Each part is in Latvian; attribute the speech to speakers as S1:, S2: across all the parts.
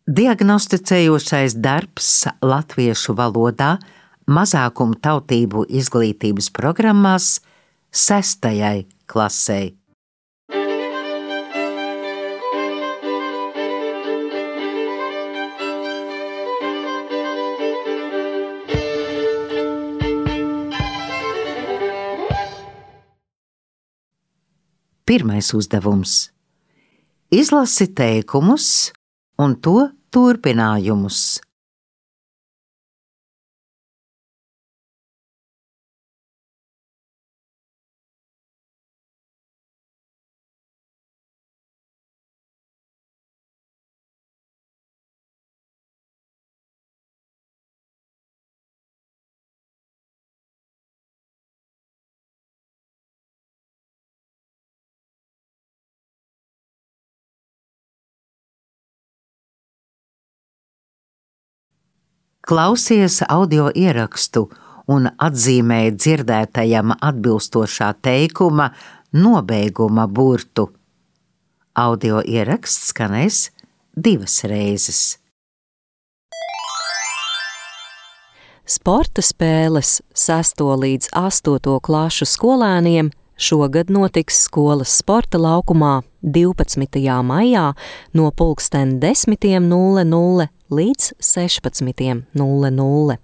S1: Diagnosticējošais darbs latviešu valodā mazākumu tautību izglītības programmās 6. klasei. Pirmais uzdevums. Izlasi teikumus un to turpinājumus. Klausies audio ierakstu un atzīmē dzirdētajam atbilstošā teikuma nobeiguma burtu. Audio ieraksts skanēs 2 reizes.
S2: Sporta spēles 6. līdz 8. klašu skolēniem šogad notiks skolas sporta laukumā 12. maijā no 10:00 līdz 16:00.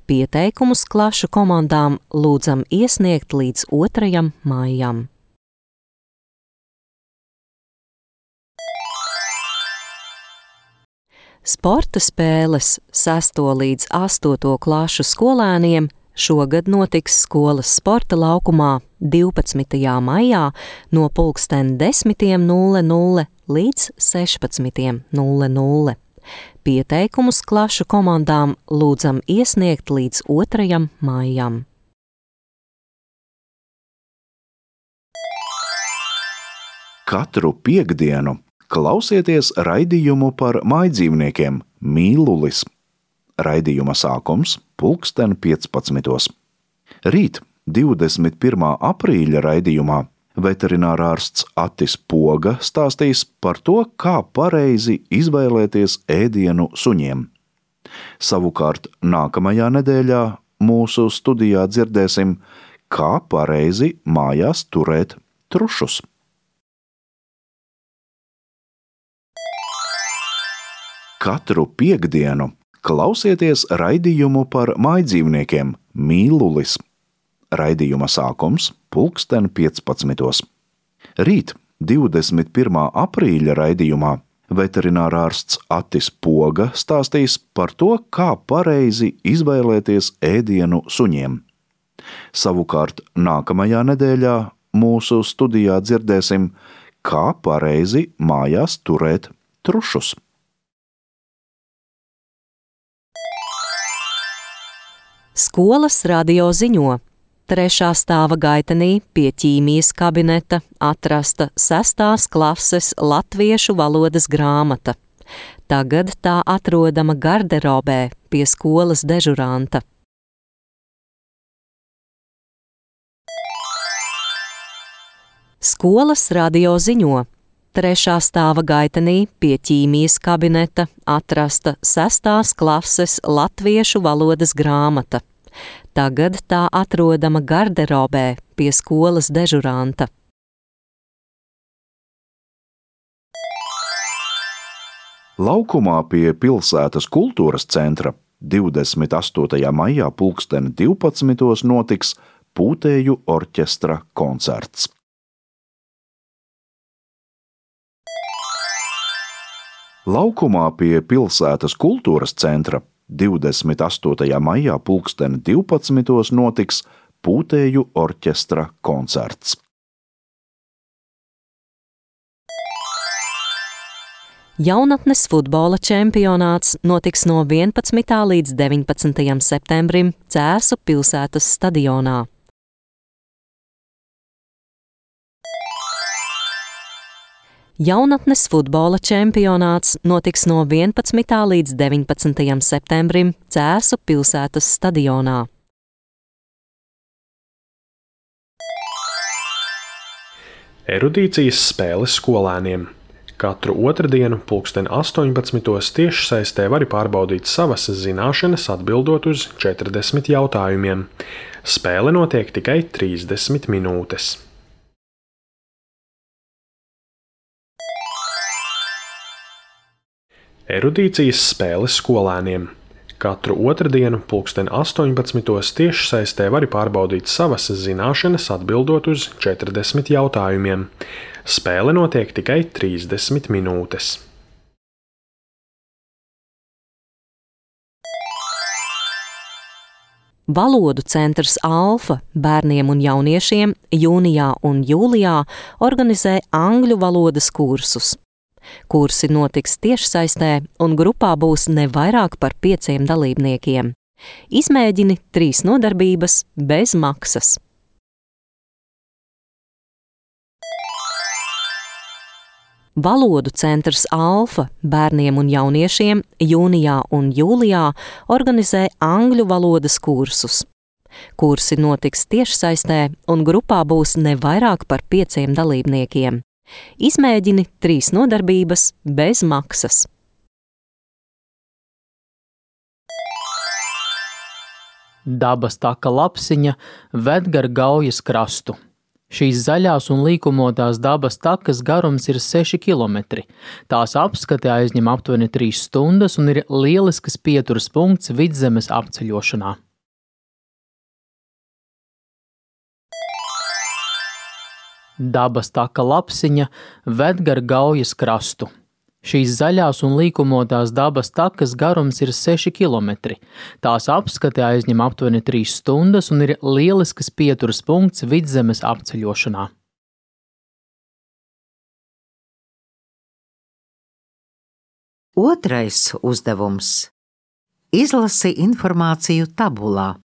S2: Pieteikumus klašu komandām lūdzam iesniegt līdz 2. maijam. Sporta spēles 6. līdz 8. klašu skolēniem šogad notiks skolas sporta laukumā 12. maijā no 10:00 līdz 16:00. Pieteikumus klašu komandām lūdzam iesniegt līdz 2. maijam.
S3: Katru piektdienu klausieties raidījumu par mājdzīvniekiem Mīlulis. Raidījuma sākums 15:00. Rīt, 21. aprīļa raidījumā, veterinārārsts Atis Poga stāstīs par to, kā pareizi izvēlēties ēdienu suņiem. Savukārt nākamajā nedēļā mūsu studijā dzirdēsim, kā pareizi mājās turēt trušus. Katru piektdienu klausieties raidījumu par mājdzīvniekiem Mīlulis. Raidījuma sākums 15:00. Rīt, 21. aprīļa raidījumā, veterinārārsts Atis Poga stāstīs par to, kā pareizi izvēlēties ēdienu suņiem. Savukārt nākamajā nedēļā mūsu studijā dzirdēsim, kā pareizi mājās turēt trušus.
S2: Skolas radio ziņo. 3. stāva gaitenī pie ķīmijas kabineta atrasta 6. klases latviešu valodas grāmata. Tagad tā atrodama garderobē pie skolas dežuranta. Skolas radio ziņo. 3. stāva gaitenī pie ķīmijas kabineta atrasta 6. klases latviešu valodas grāmata. Tagad tā atrodama garderobē pie skolas dežuranta.
S3: Laukumā pie pilsētas kultūras centra 28. maijā 12:00 notiks Pūtēju orķestra koncerts. Laukumā pie pilsētas kultūras centra 28. maijā 12:00 notiks Pūtēju orķestra koncerts.
S2: Jaunatnes futbola čempionāts notiks no 11. līdz 19. septembrim Cēsu pilsētas stadionā. Jaunatnes futbola čempionāts notiks no 11. līdz 19. septembrim Cēsu pilsētas stadionā.
S4: Erudīcijas spēles skolēniem. Katru otrdienu 18:00 tiešsaistē vari pārbaudīt savas zināšanas, atbildot uz 40 jautājumiem. Spēle notiek tikai 30 minūtes. Erudīcijas spēles skolēniem. Katru otrdienu 18:00 tiešsaistē vari pārbaudīt savas zināšanas, atbildot uz 40 jautājumiem. Spēle notiek tikai 30 minūtes.
S2: Valodu centrs Alfa bērniem un jauniešiem jūnijā un jūlijā organizē angļu valodas kursus. Kursi notiks tiešsaistē, un grupā būs ne vairāk par 5 dalībniekiem. Izmēģini 3 nodarbības bez maksas. Valodu centrs Alfa bērniem un jauniešiem jūnijā un jūlijā organizē angļu valodas kursus. Kursi notiks tiešsaistē, un grupā būs ne vairāk par 5 dalībniekiem. Izmēģini 3 nodarbības bez maksas.
S5: Dabas taka lapsiņa ved gar Gaujas krastu. Šīs zaļās un līkumotās dabas takas garums ir 6 km. Tās apskate aizņem aptuveni 3 stundas un ir lielisks pieturas punkts vidzemes apceļošanā. Dabas taka lapsiņa ved gar Gaujas krastu. Šīs zaļās un līkumotās dabas takas garums ir 6 km. Tās apskate aizņem aptuveni 3 stundas un ir lielisks pieturas punkts vidzemes apceļošanā.
S1: Otrais uzdevums – izlasi informāciju tabulā.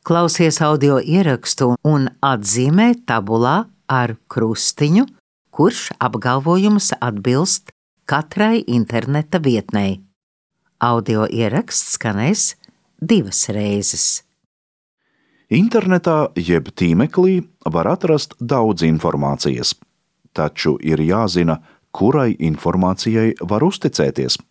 S1: Klausies audio ierakstu un atzīmē tabulā ar krustiņu, kurš apgalvojums atbilst katrai interneta vietnei. Audio ieraksts skanēs 2 reizes.
S3: Internetā jeb tīmeklī var atrast daudz informācijas, taču ir jāzina, kurai informācijai var uzticēties.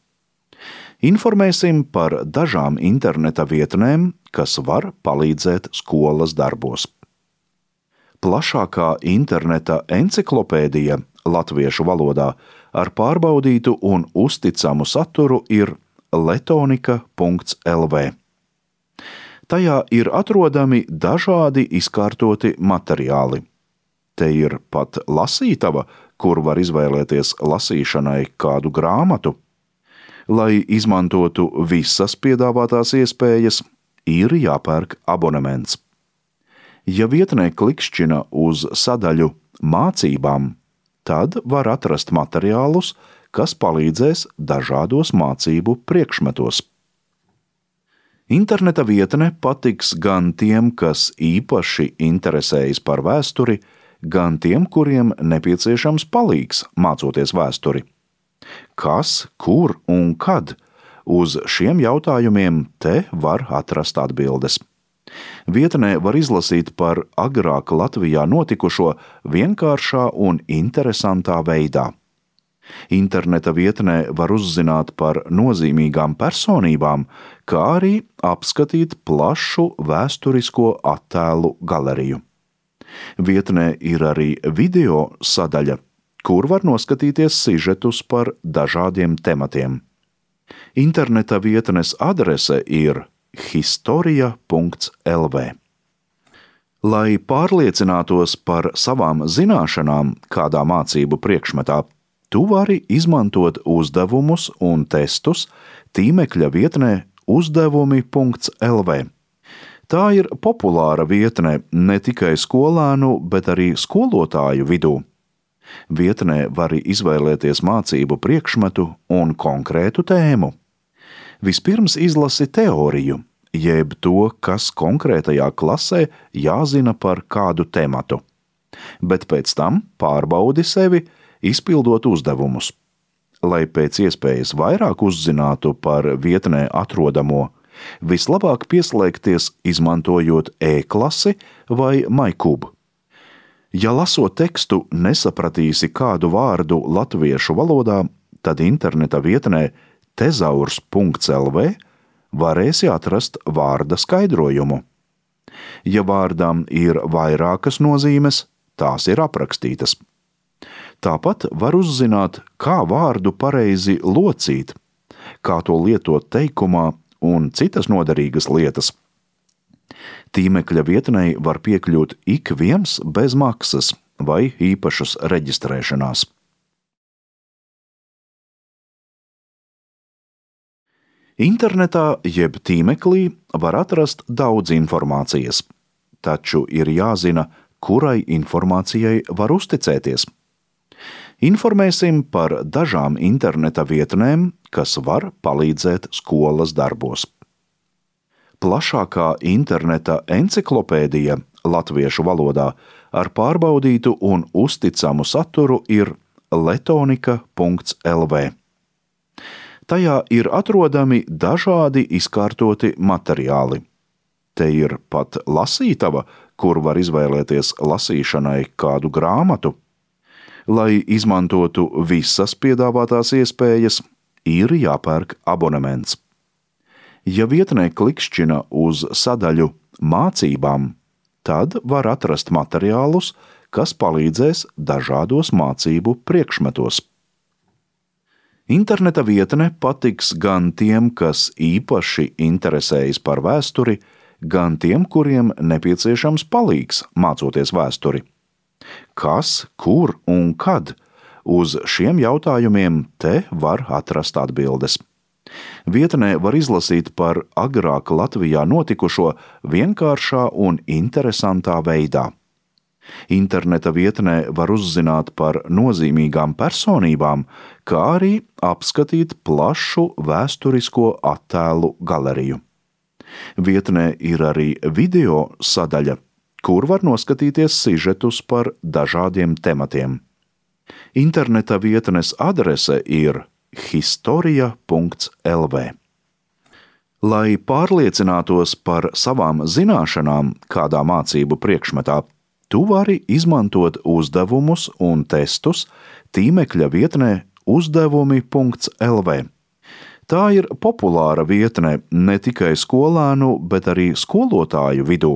S3: Informēsim par dažām interneta vietnēm, kas var palīdzēt skolas darbos. Plašākā interneta enciklopēdija latviešu valodā ar pārbaudītu un uzticamu saturu ir letonika.lv. Tajā ir atrodami dažādi izkārtoti materiāli. Te ir pat lasītava, kur var izvēlēties lasīšanai kādu grāmatu. Lai izmantotu visas piedāvātās iespējas, ir jāpērk abonements. Ja vietnē klikšķina uz sadaļu mācībām, tad var atrast materiālus, kas palīdzēs dažādos mācību priekšmetos. Interneta vietne patiks gan tiem, kas īpaši interesējas par vēsturi, gan tiem, kuriem nepieciešams palīgs mācoties vēsturi. Kas, kur un kad? Uz šiem jautājumiem te var atrast atbildes. Vietnē var izlasīt par agrāk Latvijā notikušo vienkāršā un interesantā veidā. Interneta vietnē var uzzināt par nozīmīgām personībām, kā arī apskatīt plašu vēsturisko attēlu galeriju. Vietnē ir arī video sadaļa, kur var noskatīties sižetus par dažādiem tematiem. Interneta vietnes adrese ir historia.lv. Lai pārliecinātos par savām zināšanām kādā mācību priekšmetā, tu vari izmantot uzdevumus un testus tīmekļa vietnē uzdevumi.lv. Tā ir populāra vietne ne tikai skolēnu, bet arī skolotāju vidū. Vietnē var izvēlēties mācību priekšmetu un konkrētu tēmu. Vispirms izlasi teoriju, jeb to, kas konkrētajā klasē jāzina par kādu tematu, bet pēc tam pārbaudi sevi, izpildot uzdevumus. Lai pēc iespējas vairāk uzzinātu par vietnē atrodamo, vislabāk pieslēgties izmantojot e-klasi vai MyCube. Ja lasot tekstu nesapratīsi kādu vārdu latviešu valodā, tad interneta vietnē tezaurs.lv varēsi atrast vārda skaidrojumu. Ja vārdam ir vairākas nozīmes, tās ir aprakstītas. Tāpat var uzzināt, kā vārdu pareizi locīt, kā to lietot teikumā un citas noderīgas lietas. Tīmekļa vietnei var piekļūt ik viens bez maksas vai īpašas reģistrēšanās. Internetā jeb tīmeklī var atrast daudz informācijas, taču ir jāzina, kurai informācijai var uzticēties. Informēsim par dažām interneta vietnēm, kas var palīdzēt skolas darbos. Plašākā interneta enciklopēdija latviešu valodā ar pārbaudītu un uzticamu saturu ir letonika.lv. Tajā ir atrodami dažādi izkārtoti materiāli. Te ir pat lasītava, kur var izvēlēties lasīšanai kādu grāmatu. Lai izmantotu visas piedāvātās iespējas, ir jāpērk abonements. Ja vietnē klikšķina uz sadaļu mācībām, tad var atrast materiālus, kas palīdzēs dažādos mācību priekšmetos. Interneta vietne patiks gan tiem, kas īpaši interesējas par vēsturi, gan tiem, kuriem nepieciešams palīgs mācoties vēsturi. Kas, kur un kad? Uz šiem jautājumiem te var atrast atbildes. Vietnē var izlasīt par agrāk Latvijā notikušo vienkāršā un interesantā veidā. Interneta vietnē var uzzināt par nozīmīgām personībām, kā arī apskatīt plašu vēsturisko attēlu galeriju. Vietnē ir arī video sadaļa, kur var noskatīties sižetus par dažādiem tematiem. Interneta vietnes adrese ir historia.lv. Lai pārliecinātos par savām zināšanām kādā mācību priekšmetā, tu vari izmantot uzdevumus un testus tīmekļa vietnē uzdevumi.lv. Tā ir populāra vietne ne tikai skolēnu, bet arī skolotāju vidū.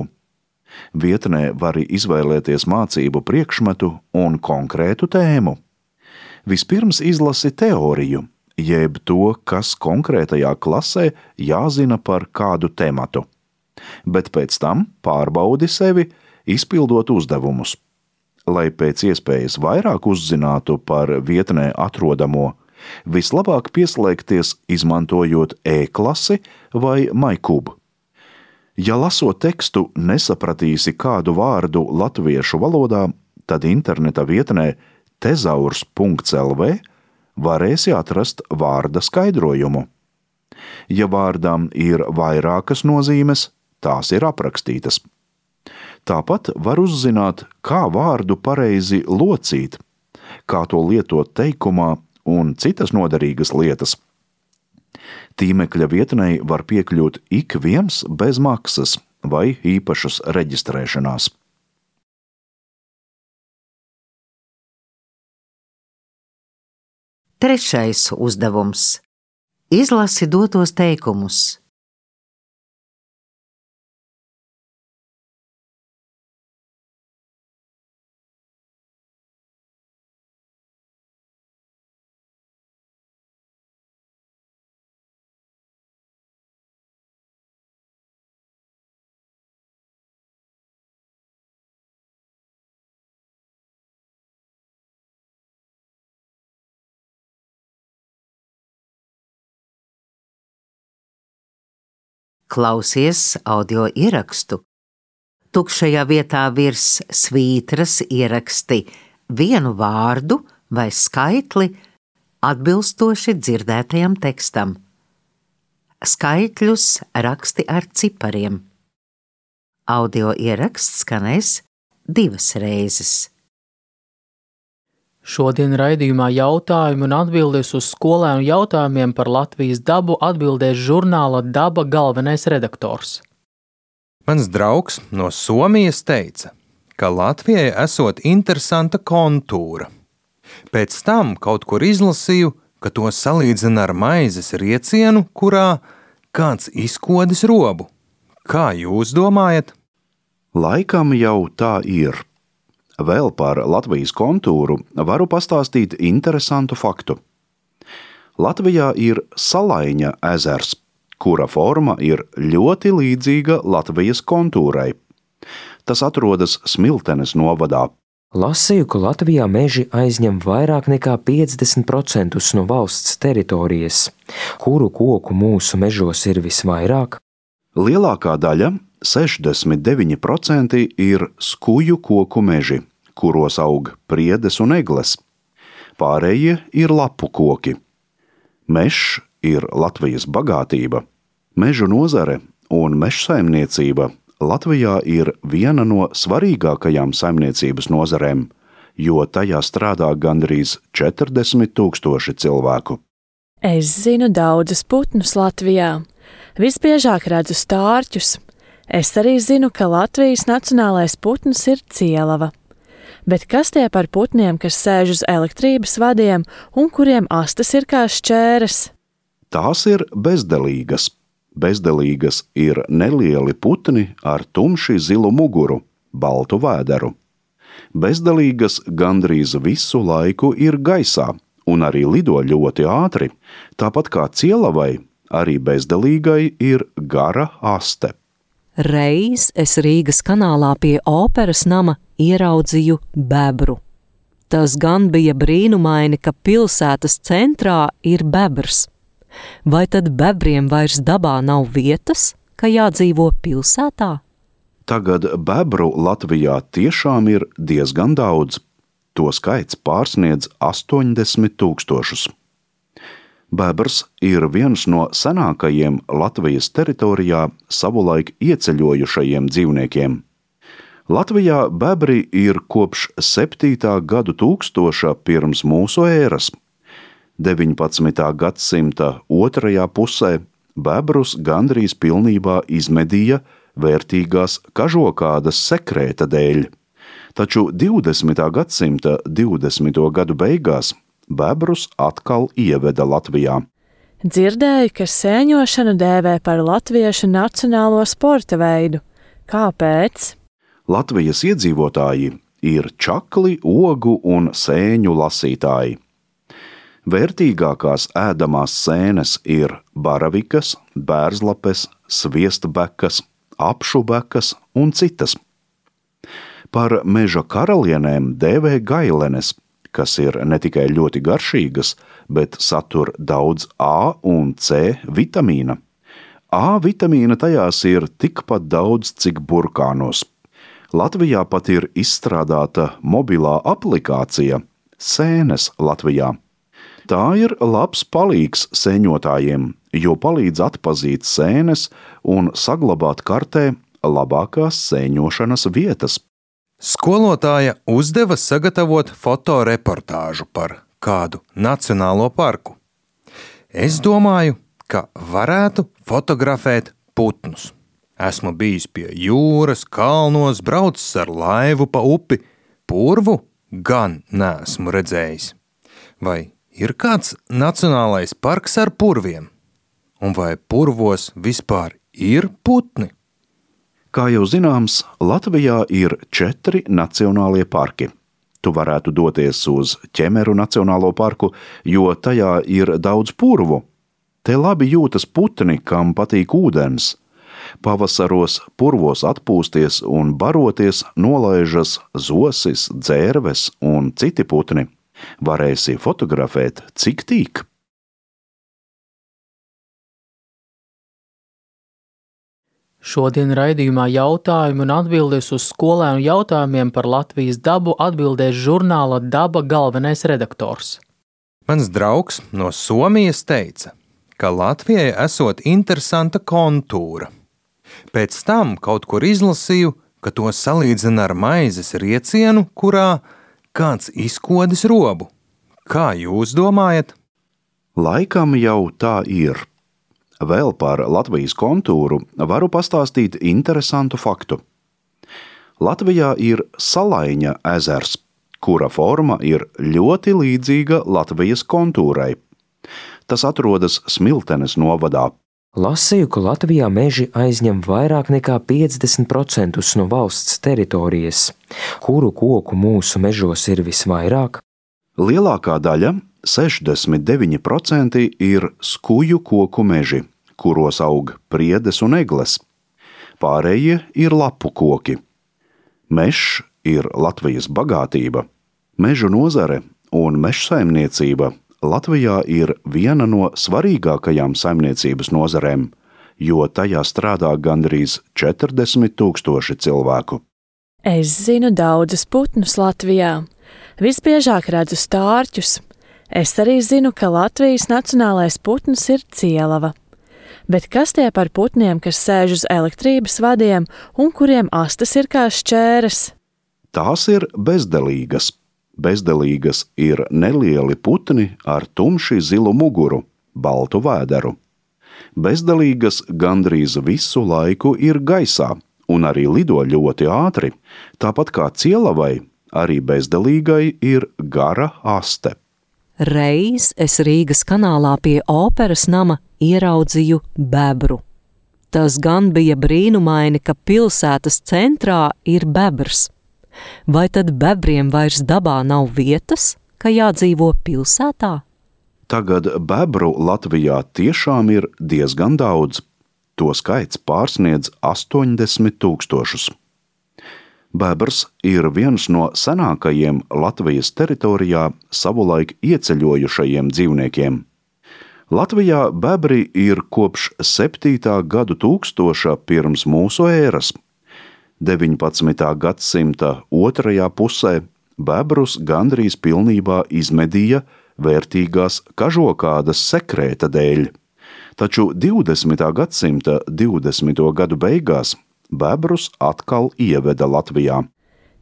S3: Vietnē var izvēlēties mācību priekšmetu un konkrētu tēmu. Vispirms izlasi teoriju, jeb to, kas konkrētajā klasē jāzina par kādu tematu, bet pēc tam pārbaudi sevi, izpildot uzdevumus. Lai pēc iespējas vairāk uzzinātu par vietnē atrodamo, vislabāk pieslēgties izmantojot e-klasi vai MyCube. Ja lasot tekstu nesapratīsi kādu vārdu latviešu valodā, tad interneta vietnē tezaurs.lv varēsi atrast vārda skaidrojumu. Ja vārdam ir vairākas nozīmes, tās ir aprakstītas. Tāpat var uzzināt, kā vārdu pareizi locīt, kā to lietot teikumā un citas noderīgas lietas. Tīmekļa vietnei var piekļūt ik viens bez maksas vai īpašas reģistrēšanās.
S1: Trešais uzdevums. Izlasi dotos teikumus. Klausies audio ierakstu. Tukšajā vietā virs svītras ieraksti vienu vārdu vai skaitli atbilstoši dzirdētajam tekstam. Skaitļus raksti ar cipariem. Audio ieraksts skanēs 2 reizes.
S5: Šodien raidījumā jautājumu un atbildes uz skolēnu jautājumiem par Latvijas dabu atbildēs žurnāla Daba galvenais redaktors.
S6: Mans draugs no Somijas teica, ka Latvijai esot interesanta kontūra. Pēc tam kaut kur izlasīju, ka to salīdzina ar maizes riecienu, kurā kāds izkodis robu. Kā jūs domājat?
S3: Laikam jau tā ir. Vēl par Latvijas kontūru varu pastāstīt interesantu faktu. Latvijā ir Salaiņa ezers, kura forma ir ļoti līdzīga Latvijas kontūrai. Tas atrodas Smiltenes novadā.
S7: Lasīju, ka Latvijā meži aizņem vairāk nekā 50% no valsts teritorijas. Kuru koku mūsu mežos ir visvairāk?
S3: Lielākā daļa, 69%, ir skuju koku meži, kuros aug priedes un egles. Pārējie ir lapu koki. Mežs ir Latvijas bagātība. Mežu nozare un mežsaimniecība Latvijā ir viena no svarīgākajām saimniecības nozarēm, jo tajā strādā gandrīz 40,000 cilvēku.
S8: Es zinu daudzus putnus Latvijā. Visbiežāk redzu stārķus. Es arī zinu, ka Latvijas nacionālais putns ir cielava. Bet kas tie par putniem, kas sēž uz elektrības vadiem un kuriem astes ir kā šķēres?
S3: Tās ir bezdelīgas. Bezdelīgas ir nelieli putni ar tumši zilu muguru, baltu vēderu. Bezdelīgas gandrīz visu laiku ir gaisā un arī lido ļoti ātri, tāpat kā cielavai, arī bezdelīgai ir gara aste.
S2: Reiz es Rīgas kanālā pie operas nama ieraudzīju bebru. Tas gan bija brīnumaini, ka pilsētas centrā ir bebrs. Vai tad bebriem vairs dabā nav vietas, ka jādzīvo pilsētā?
S3: Tagad bebru Latvijā tiešām ir diezgan daudz. To skaits pārsniedz 80,000. Bebrs ir viens no senākajiem Latvijas teritorijā savulaik ieceļojušajiem dzīvniekiem. Latvijā bebri ir kopš 7. gadu tūkstoša pirms mūsu ēras. 19. gadsimta otrajā pusē bebrus gandrīz pilnībā izmedīja vērtīgās kažokādas sekrēta dēļ, taču 20. gadsimta 20. gadu beigās bebrus atkal ieveda Latvijā.
S8: Dzirdēju, ka sēņošanu dēvē par latviešu nacionālo sporta veidu. Kāpēc?
S3: Latvijas iedzīvotāji ir čakli, ogu un sēņu lasītāji. Vērtīgākās ēdamās sēnes ir baravikas, bērzlapes, sviestbekas, apšubekas un citas. Par meža karalienēm dēvē gailenes, kas ir ne tikai ļoti garšīgas, bet satur daudz A un C vitamīna. A vitamīna tajās ir tikpat daudz, cik burkānos. Latvijā pat ir izstrādāta mobilā aplikācija Sēnes Latvijā. Tā ir labs palīgs sēņotājiem, jo palīdz atpazīt sēnes un saglabāt kartē labākās sēņošanas vietas.
S6: Skolotāja uzdeva sagatavot fotoreportāžu par kādu nacionālo parku. Es domāju, ka varētu fotografēt putnus. Esmu bijis pie jūras, kalnos, braucis ar laivu pa upi, purvu gan neesmu redzējis. Vai ir kāds nacionālais parks ar purviem? Un vai purvos vispār ir putni?
S3: Kā jau zināms, Latvijā ir 4 nacionālie parki. Tu varētu doties uz Ķemeru nacionālo parku, jo tajā ir daudz purvu. Te labi jūtas putni, kam patīk ūdens. Pavasaros purvos atpūsties un baroties nolaižas zosis, dzērves un citi putni. Varēsi fotografēt, cik tīk.
S5: Šodien raidījumā jautājumu un atbildes uz skolēnu jautājumiem par Latvijas dabu atbildēs žurnāla Daba galvenais redaktors.
S6: Mans draugs no Somijas teica, ka Latvijai esot interesanta kontūra. Pēc tam kaut kur izlasīju, ka to salīdzina ar maizes riecienu, kurā kāds izkodis robu. Kā jūs domājat?
S3: Laikam jau tā ir. Vēl par Latvijas kontūru varu pastāstīt interesantu faktu. Latvijā ir Salaiņa ezers, kura forma ir ļoti līdzīga Latvijas kontūrai. Tas atrodas Smiltenes novadā.
S7: Lasīju, ka Latvijā meži aizņem vairāk nekā 50% no valsts teritorijas. Kuru koku mūsu mežos ir visvairāk?
S3: Lielākā daļa, 69%, ir skuju koku meži, kuros aug priedes un egles. Pārējie ir lapu koki. Mežs ir Latvijas bagātība. Mežu nozare un mežsaimniecība Latvijā ir viena no svarīgākajām saimniecības nozarēm, jo tajā strādā gandrīz 40,000 cilvēku.
S8: Es zinu daudzus putnus Latvijā. Visbiežāk redzu stārķus. Es arī zinu, ka Latvijas nacionālais putns ir cielava. Bet kas tie par putniem, kas sēž uz elektrības vadiem un kuriem astes ir kā šķēres?
S3: Tās ir bezdelīgas. Bezdelīgas ir nelieli putni ar tumši zilu muguru, baltu vēderu. Bezdelīgas gandrīz visu laiku ir gaisā un arī lido ļoti ātri, tāpat kā cielavai, arī bezdelīgai ir gara aste.
S2: Reiz es Rīgas kanālā pie operas nama ieraudzīju bebru. Tas gan bija brīnumaini, ka pilsētas centrā ir bebrs. Vai tad bebriem vairs dabā nav vietas, ka jādzīvo pilsētā?
S3: Tagad bebru Latvijā tiešām ir diezgan daudz. To skaits pārsniedz 80,000. Bebrs ir viens no senākajiem Latvijas teritorijā savulaik ieceļojušajiem dzīvniekiem. Latvijā bebri ir kopš 7. gadu tūkstoša pirms mūsu ēras. 19. gadsimta otrajā pusē bebrus gandrīz pilnībā izmedīja vērtīgās kažokādas sekrēta dēļ, taču 20. gadsimta 20. gadu beigās bebrus atkal ieveda Latvijā.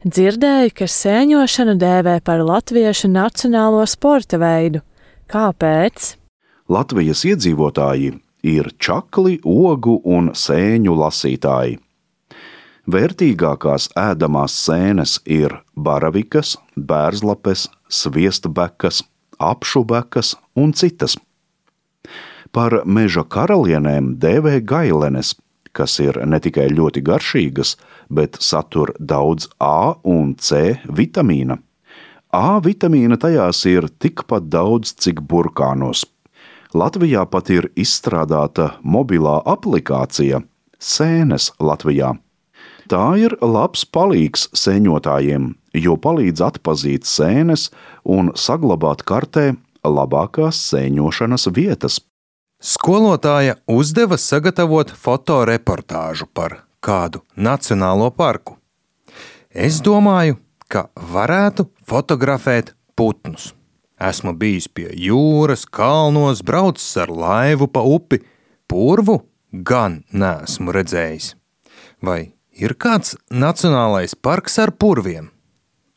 S8: Dzirdēju, ka sēņošanu dēvē par latviešu nacionālo sporta veidu. Kāpēc?
S3: Latvijas iedzīvotāji ir čakli, ogu un sēņu lasītāji. Vērtīgākās ēdamās sēnes ir baravikas, bērzlapes, sviestbekas, apšubekas un citas. Par meža karalienēm dēvē gailenes, kas ir ne tikai ļoti garšīgas, bet satur daudz A un C vitamīna. A vitamīna tajās ir tikpat daudz, cik burkānos. Latvijā pat ir izstrādāta mobilā aplikācija Sēnes Latvijā. Tā ir labs palīgs sēņotājiem, jo palīdz atpazīt sēnes un saglabāt kartē labākās sēņošanas vietas.
S6: Skolotāja uzdeva sagatavot fotoreportāžu par kādu nacionālo parku. Es domāju, ka varētu fotografēt putnus. Esmu bijis pie jūras, kalnos, braucis ar laivu pa upi, purvu gan neesmu redzējis. Vai ir kāds nacionālais parks ar purviem?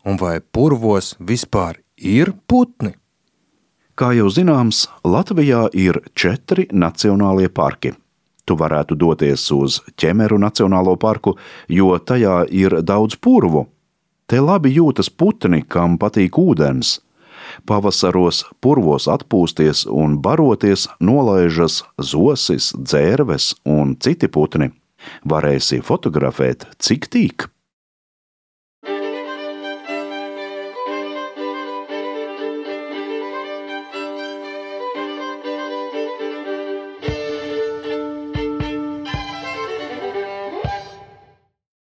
S6: Un vai purvos vispār ir putni?
S3: Kā jau zināms, Latvijā ir 4 nacionālie parki. Tu varētu doties uz Ķemeru nacionālo parku, jo tajā ir daudz purvu. Te labi jūtas putni, kam patīk ūdens. Pavasaros purvos atpūsties un baroties nolaižas zosis, dzērves un citi putni. Varēsi fotografēt, cik tīk.